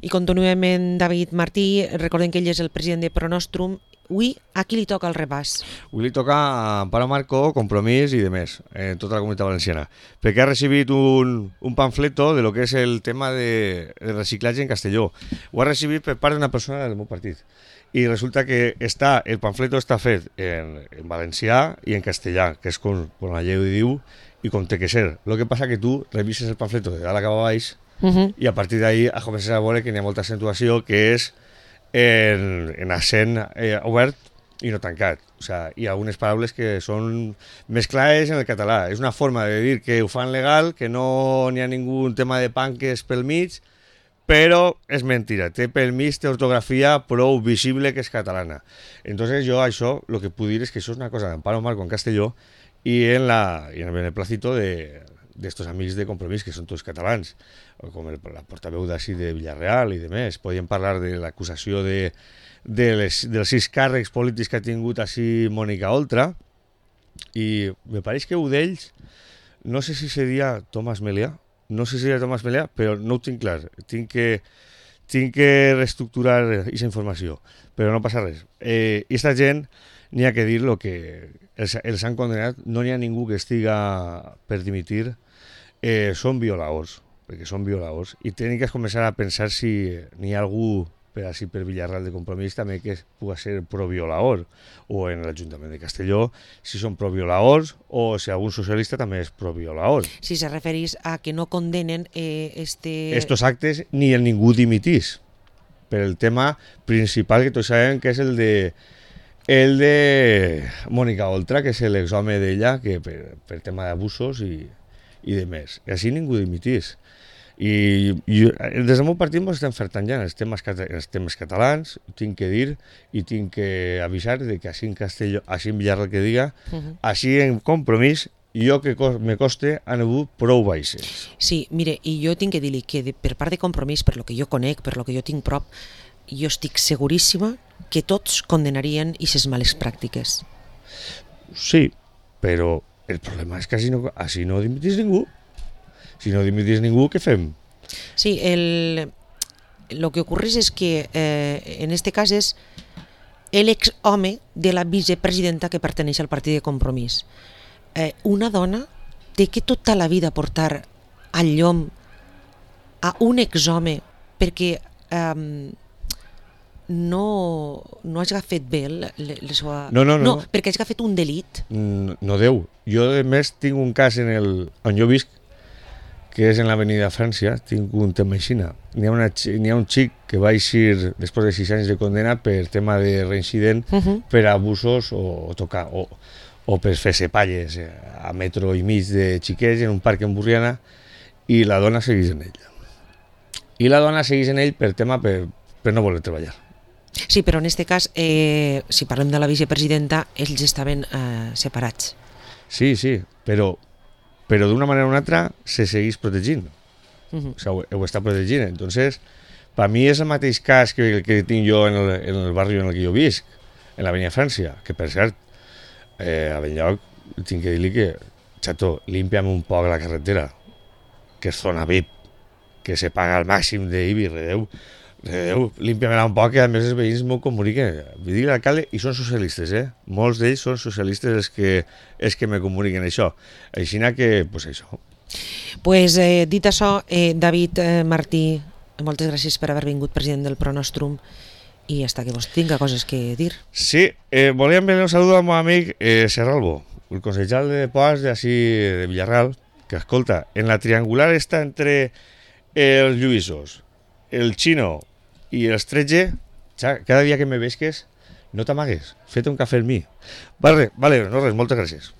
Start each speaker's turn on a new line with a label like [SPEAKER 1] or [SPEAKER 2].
[SPEAKER 1] I continuem amb David Martí. Recordem que ell és el president de Pronostrum. Avui, a qui li toca el repàs?
[SPEAKER 2] Avui li toca a Amparo Marco, Compromís i demés, en tota la comunitat valenciana, perquè ha recibit un pamfleto de lo que és el tema de reciclatge en Castelló. Ho ha recibit per part d'una persona del meu partit. I resulta que el pamfleto està fet en valencià i en castellà, que és com la llei diu i com té que ser. El que passa que tu revises el pamfleto de dalt a cap a baix i a partir d'ahí has començat a veure que hi ha molta accentuació que és en accent obert i no tancat. O sea, hi ha algunes paraules que són més clares en el català. És una forma de dir que ho fan legal, que no n'hi ha ningú tema de panques pel mig, però és mentira. Té pel mig, té ortografia prou visible que és catalana. Entonces jo això, el que puc dir és que això és una cosa d'Amparo Marco en Castelló i en el beneplácito d'estos amics de Compromís, que són tots catalans, com la portaveu d'ací de Villarreal i demés. Podíem parlar de l'acusació dels 6 càrrecs polítics que ha tingut així Mònica Oltra, i me pareix que un d'ells, no sé si seria Tomàs Melià, però no ho tinc clar. Tinc que reestructurar aquesta informació, però no passa res. I aquesta gent, n'hi ha que dir el que els han condenat, no n'hi ha ningú que estiga per dimitir, són violadors, perquè són violadors, i tenen que començar a pensar si n'hi ha algú per Villarreal de Compromís també que pugui ser pro-violador, o en l'Ajuntament de Castelló, si són pro-violadors, o si algun socialista també és pro-violador.
[SPEAKER 1] Si se referís a que no condenen
[SPEAKER 2] estos actes ni el ningú dimitís, per el tema principal que tots sabem que és el de Mònica Oltra, que és l'exhome d'ella, que per tema d'abusos i demés. I així ningú dimitís. I des del meu partit ens estem fertant ja en els temes catalans, tinc que dir i tinc que avisar de que així en Castelló, així en Villarreal que diga, així en Compromís, jo que me coste han hagut prou baixes.
[SPEAKER 1] Sí, mire, i jo tinc que dir-li que per part de Compromís, per lo que jo conec, per lo que jo tinc prop, jo estic seguríssima que tots condenarien aquestes males pràctiques.
[SPEAKER 2] Sí, però el problema és que així no dimitís ningú. Si no dimitís ningú, què fem?
[SPEAKER 1] Sí, lo que ocorre és que en este cas és l'exhome de la vicepresidenta que perteneix al partit de Compromís. Una dona té que tota la vida portar al llom a un exhome perquè no hagi fet bé la seva...
[SPEAKER 2] No,
[SPEAKER 1] perquè hagi fet un delit.
[SPEAKER 2] No deu. Jo, a més, tinc un cas on jo visc, que és en l'avenida Frància, tinc un tema així. N'hi ha un xic que va eixir després de 6 anys de condena per tema de reincident, per abusos o tocar, o per fer-se palles a metro i mig de xiquets en un parc en Burriana, i la dona segueix en ell. I la dona segueix en ell per tema per no voler treballar.
[SPEAKER 1] Sí, però en aquest cas, si parlem de la vicepresidenta, ells estaven separats.
[SPEAKER 2] Sí, però d'una manera o una altra se segueix protegint. O sigui, ho està protegint. Entonces, per mi és el mateix cas que tinc jo en el barri en el que jo visc, en l'avenida Frància, que per cert, a Benlloc tinc que dir-li que, xato, límpia'm un poc la carretera, que és zona VIP, que se paga al màxim d'IBI, redeu, límpia'm-la un poc, que a més els veïns m'ho comuniquen. Vull dir l'alcalde, i són socialistes, molts d'ells són socialistes els que me comuniquen això. Així que, pues això.
[SPEAKER 1] Pues dit això, David Martí, moltes gràcies per haver vingut president del Pronostrum, i hasta que vos tinga coses que dir.
[SPEAKER 2] Sí, volia enviar un saludo al meu amic Serralbo, el consellal de Poas de Villarreal, que escolta, en la triangular està entre els Lluïsos, el Xino i els 13, cada dia que me vesques no t'amagues, feta un cafè amb mi. Vale, no res, moltes gràcies.